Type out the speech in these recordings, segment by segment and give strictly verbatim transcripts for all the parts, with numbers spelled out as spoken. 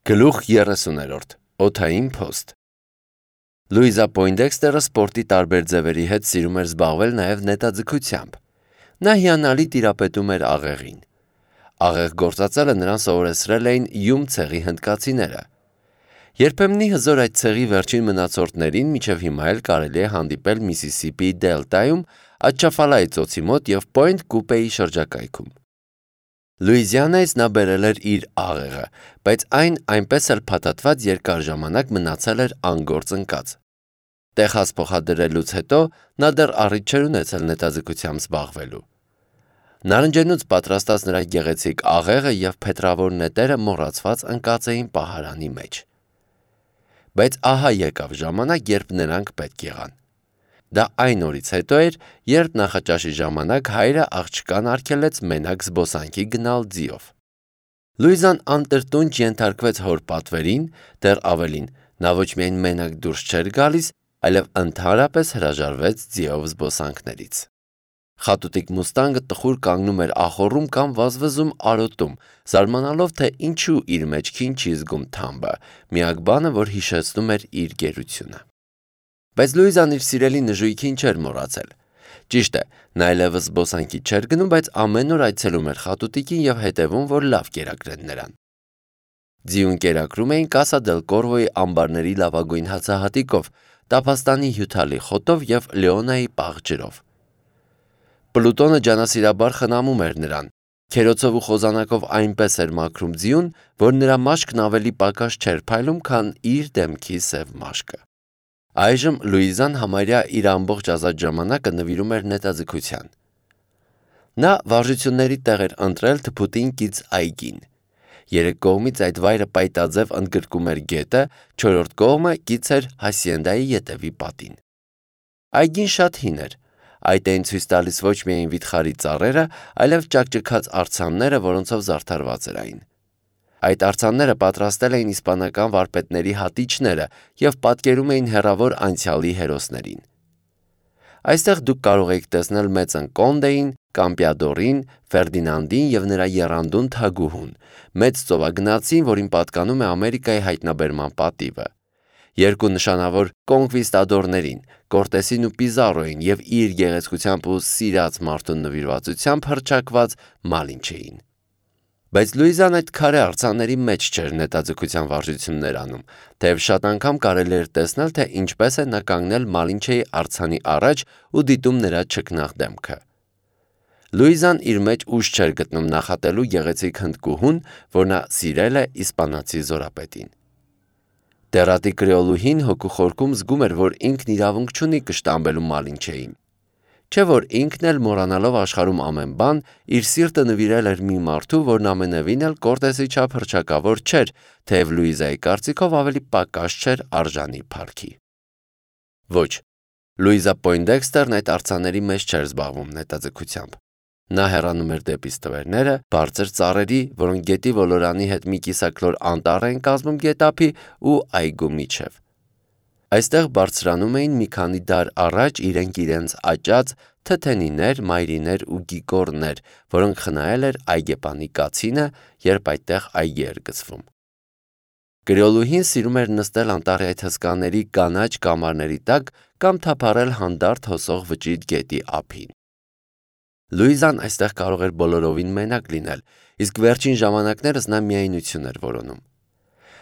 Գլուխ երեսուներորդ. Օդային փոստ Լուիզա Պոյնդեքստերը սպորտի տարբեր ձևերի հետ սիրում էր զբաղվել նաև նետաձգությամբ։ Նա հիանալի տիրապետում էր աղեղին։ Աղեղ գործածելը նրան սովորեցրել էին յում ցեղի հնդկացիները։ Երբեմնի հզոր այդ ցեղի վերջին մնացորդներին մինչև հիմա էլ կարելի է հանդիպել Միսիսիպիի դելտայում, Ատչաֆալայի ծոցի մոտ և Պոինտ Կուպեի շրջակայքում։ Լուիզիանայից նա բերել էր իր աղեղը, բայց այն այնպես էլ փաթաթված երկար ժամանակ մնացել էր անգործ ընկած։ Տեխաս փոխադրելուց հետո նա դեռ առիթ չէր ունեցել նետաձգությամբ զբաղվելու։ Նարնջենուց պատրաստած նրա գեղեցիկ աղեղը և փետրավոր նետերը մոռացված ընկած էին պահարանի մեջ։ Բայց ահա եկավ ժամանակ, երբ նրանք պետք եղան։ Դա այն օրից հետո էր, երբ նախաճաշի ժամանակ հայրը աղջկան արգելեց մենակ զբոսանքի գնալ ձիով։ Լուիզան անտրտունջ ենթարկվեց հոր պատվերին, դեռ ավելին, նա ոչ միայն մենակ դուրս չէր գալիս, այլև ընդհանրապես հրաժարվեց ձիով զբոսանքներից։ Խատուտիկ մուստանգը տխուր կանգնում էր ախոռում կամ վազվզում արոտում, զարմանալով, թե ինչու իր մեջքին չի զգում թամբը, միակ բանը, որ հիշեցնում էր իր գերությունը։ Բայց Լուիզան իր սիրելի նժույգին չէր մոռացել։ Ճիշտ է, նա այլևս զբոսանքի չէր գնում, բայց ամեն օր այցելում էր խատուտիկին և հետևում, որ լավ կերակրեն նրան։ Ձիուն կերակրում էին Կասա դել Կորվոյի ամբարների լավագույն հացահատիկով, Տափաստանի հյութալի խոտով և Լեոնայի պաղ ջրով։ Պլուտոնը ջանասիրաբար խնամում էր նրան, քերոցով ու խոզանակով այնպես էր մաքրում ձիուն, որ նրա մաշկն ավելի պակաս չէր փայլում, քան իր դեմքի սև մաշկը։ Այժմ Լուիզան համարյա իր ամբողջ ազատ ժամանակը նվիրում էր նետաձգության։ Նա վարժությունների տեղ էր ընտրել թփուտին կից այգին։ Երեք կողմից այդ վայրը պայտաձև ընդգրկում էր գետը, չորրորդ կողմը կից էր հասիենդայի ետևի պատին։ Այգին շատ հին էր։ Այդ էին ցույց տալիս ոչ միայն վիթխարի ծառերը, այլև ճաքճքած արձանները, որոնցով զարդարված էր այն։ Այդ արձանները պատրաստել էին իսպանական վարպետների հատիչները և պատկերում էին հեռավոր անցյալի հերոսներին։ Այստեղ դուք կարող եք տեսնել Մեծն Կոնդեին, Կամպիադորին, Ֆերդինանդին և նրա եռանդուն թագուհուն, մեծ ծովագնացին, որին պատկանում է Ամերիկայի հայտնաբերման պատիվը, երկու նշանավոր կոնկվիստադորներին՝ Կորտեսին ու Պիզարոյին և իր գեղեցկությամբ ու սիրած մարդուն նվիրվածությամբ հռչակված Մալինչեին։ Բայց Լուիզան այդ քարե արձանների մեջ չէր նետաձգության վարժություններ անում, թեև շատ անգամ կարելի էր տեսնել, թե ինչպես է նա կանգնել Մալինչեի արձանի առաջ ու դիտում նրա չքնաղ դեմքը։ Լուիզան իր մեջ ուժ չէր գտնում նախատելու գեղեցիկ հնդկուհուն, որ նա սիրել է իսպանացի զորապետին։ Դեռատի կրեոլուհին հոգու խորքում զգում էր, որ ինքն իրավունք չունի կշտամբելու Մալինչեին։ Չէ՞ որ ինքն էլ մոռանալով աշխարհում ամեն բան, իր սիրտը նվիրել էր մի մարդու, որն ամենևին էլ Կորտեսի չափ հռչակավոր չէր, թեև Լուիզայի կարծիքով ավելի պակաս չէր արժանի փառքի։ Ոչ, Լուիզա Պոյնդեքստերն այդ արձանների մեջ չէր զբաղվում նետաձգությամբ։ Նա հեռանում էր դեպի ստվերները, բարձր ծառերի, որոնք գետի ոլորանի հետ մի կիսաքլոր անտառ էին կազմում գետափի ու այգու միջև։ Այստեղ բարձրանում էին մի քանի դար առաջ իրենք իրենց աճած թթենիներ, մայրիներ ու գիկորներ, որոնք խնայել էր այգեպանի կացինը, երբ այդտեղ այգի էր գցվում։ Կրեոլուհին սիրում էր նստել անտառի այդ հսկաների կանաչ կամարների տակ կամ թափառել հանդարտ հոսող վճիտ գետի ափին։ Լուիզան այստեղ կարող էր բոլորովին մենակ լինել, իսկ վերջին ժամանակներս նա միայնություն էր որոնում։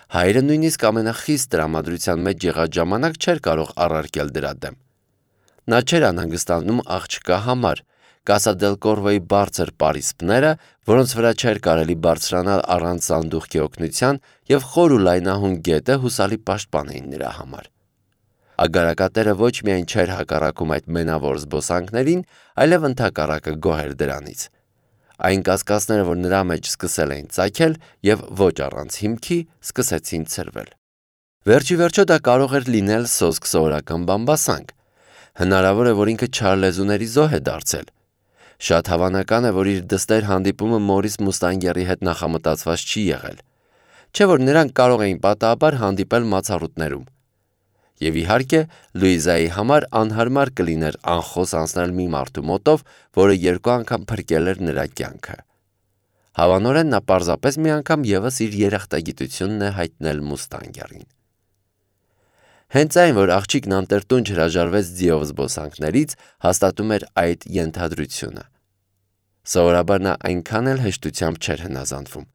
Հայրը նույնիսկ ամենախիստ տրամադրության մեջ եղած ժամանակ չէր կարող առարկել դրա դեմ։ Նա չէր անհանգստանում աղջկա համար, Կասա դել Կորվոյի բարձր պարիսպները, որոնց վրա չէր կարելի բարձրանալ առանց սանդուղքի օգնության, և խոր ու լայնահուն գետը հուսալի պաշտպան էին նրա համար։ Ագարակատերը ոչ միայն չէր հակառակում այդ մենավոր զբոսանքներին, այլև ընդհակառակը գոհ էր դրանից։ Այն կասկածները, որ նրա մեջ սկսել էին ծագել և ոչ առանց հիմքի սկսեցին ցրվել։ Վերջիվերջո դա կարող էր լինել սոսկ սովորական բամբասանք։ Հնարավոր է, որ ինքը չարլեզուների զոհ է դարձել։ Շատ հավանական է, որ իր դստեր հանդիպումը Մորիս Մուստանգերի հետ նախամտածված չի եղել։ Չէ՞ որ նրանք կարող էին պատահաբար հանդիպել մացառուտներում։ Եվ իհարկե, Լուիզայի համար անհարմար կլիներ անխոս անցնել մի մարդու մոտով, որը երկու անգամ փրկել էր նրա կյանքը։ Հավանորեն նա պարզապես մի անգամ ևս իր երախտագիտությունն է հայտնել մուստանգերին։ Հենց այն, որ աղջիկն անտերտունջ հրաժարվեց ձիով զբոսանքներից, հաստատում էր այդ ենթադրությունը։ Սովորաբար նա այնքան էլ հեշտությամբ չէր հնազանդվում։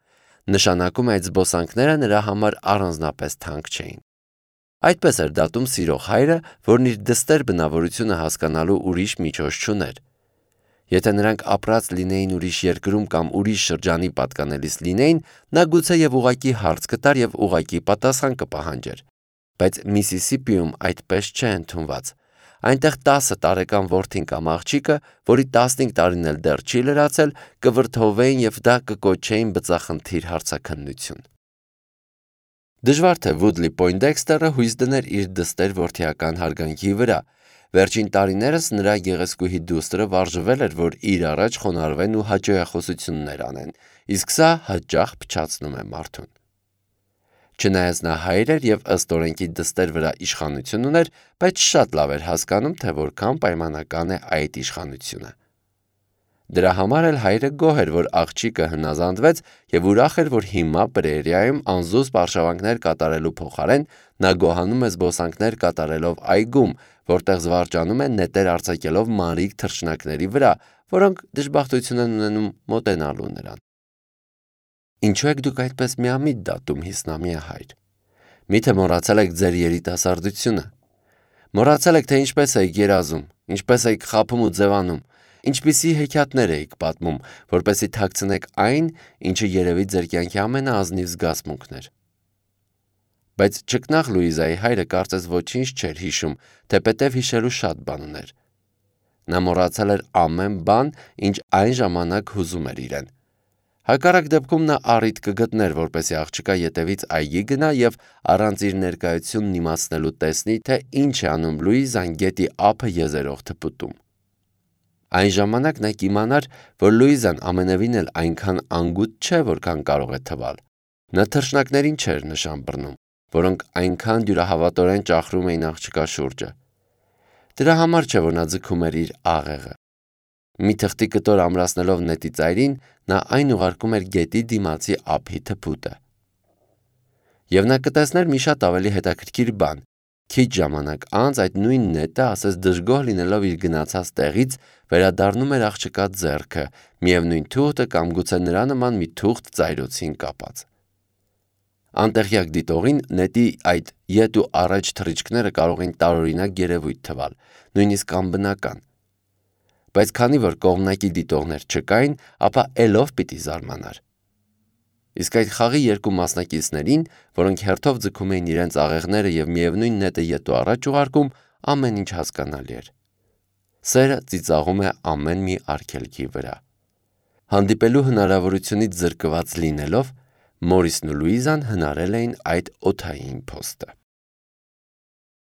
Նշանակում է այդ զբոսանքները նրա համար առանձնապես թանկ չէին։ Այդպես էր դատում սիրող հայրը, որն իր դստեր բնավորությունը հասկանալու ուրիշ միջոց չուներ։ Եթե նրանք ապրած լինեին ուրիշ երկրում կամ ուրիշ շրջանի պատկանելիս լինեին, նա գուցե եւ ուղակի հարց կտար եւ ուղակի պատասխան կպահանջեր։ Բայց Միսիսիպիում այդպես չէ ընդունված։ Այնտեղ տասը տարեկան որդին կամ աղջիկը, որի տասնհինգ տարին էլ դեռ չի լրացել, կվրդովվեին եւ դա կկոչեին բծախնդիր հարցաքննություն։ Դժվար թե Վուդլի Պոյնդեքստերը հույս դներ իր դստեր որդիական հարգանքի վրա։ Վերջին տարիներս նրա գեղեցկուհի դուստրը վարժվել էր, որ իր առաջ խոնարհվեն ու հաճոյախոսություններ անեն, իսկ սա հաճախ փչացնում է մարդուն։ Չնայած նա հայր էր եւ ըստ օրենքի դստեր վրա իշխանություն ուներ, բայց շատ լավ էր հասկանում, թե որքան պայմանական է այդ իշխանությունը։ Դրա համար էլ հայրը գոհ էր, որ աղջիկը հնազանդվեց եւ ուրախ էր, որ հիմա Պրերիայում անզուսպ արշավանքներ կատարելու փոխարեն նա գոհանում է զբոսանքներ կատարելով այգում, որտեղ զվարճանում է նետեր արձակելով մանրիկ թռչնակների վրա, որոնք դժբախտություն են ունենում մոտենալու նրան։ Ինչու եք դուք այդպես միամիտ դատում հիսնամիա հայր։ Միթե մոռացել եք ձեր երիտասարդությունը։ Մոռացել եք, թե ինչպես եք երազում, ինչպես եք խաբում ու ձևանում, ինչպիսի հեքիաթներ էիք պատմում, որպեսզի թաքցնեք այն, ինչը երևի ձեր կյանքի ամենաազնիվ զգացմունքն էր։ Բայց ճկնաղ Լուիզայի հայրը կարծես ոչինչ չէր հիշում, թեպետև հիշելու շատ բան ուներ։ Նա մոռացել էր ամեն բան, ինչ այն ժամանակ հուզում էր իրեն։ Հակառակ դեպքում նա առիթ կգտներ, որպեսզի աղջկա ետևից այգի գնա եւ առանց իր ներկայությունն իմացնելու տեսնի, թե ինչ է անում Լուիզան գետի ափը եզերող թփուտում։ Այն ժամանակ նա կիմանար, որ Լուիզան ամենևին էլ այնքան անգութ չէ, որքան կարող է թվալ։ Նա թռչնակներին չէր նշան բռնում, որոնք այնքան դյուրահավատորեն ճախրում էին աղջկա շուրջը։ Դրա համար չէ, որ նա ձգում էր իր աղեղը։ Մի թղթի կտոր ամրացնելով նետի ծայրին, նա այն ուղարկում էր գետի դիմացի ափի թփուտը։ Եվ նա կտեսներ մի շատ ավելի հետաքրքիր բան։ Քիչ ժամանակ անց այդ նույն նետը, ասես դժգոհ լինելով իր գնացած տեղից, վերադառնում էր աղջկա ձեռքը, միևնույն թուղթը կամ գուցե նրա նման մի թուղթ ծայրոցին կապած։ Անտեղյակ դիտողին նետի այդ ետ ու առաջ թռիչքները կարող են տարօրինակ երևույթ թվալ, նույնիսկ անբնական։ Բայց քանի որ կողմնակի դիտողներ չկային, ապա ելով պիտի զարմանար։ Իսկ այդ խաղի երկու մասնակիցներին, որոնք հերթով ձգում էին իրենց աղեղները եւ միևնույն նետը ետ ու առաջ ուղարկում, ամեն ինչ հասկանալի էր։ Սերը ծիծաղում է ամեն մի արգելքի վրա։ Հանդիպելու հնարավորությունից զրկված լինելով, Մորիսն ու Լուիզան հնարել էին այդ օդային փոստը։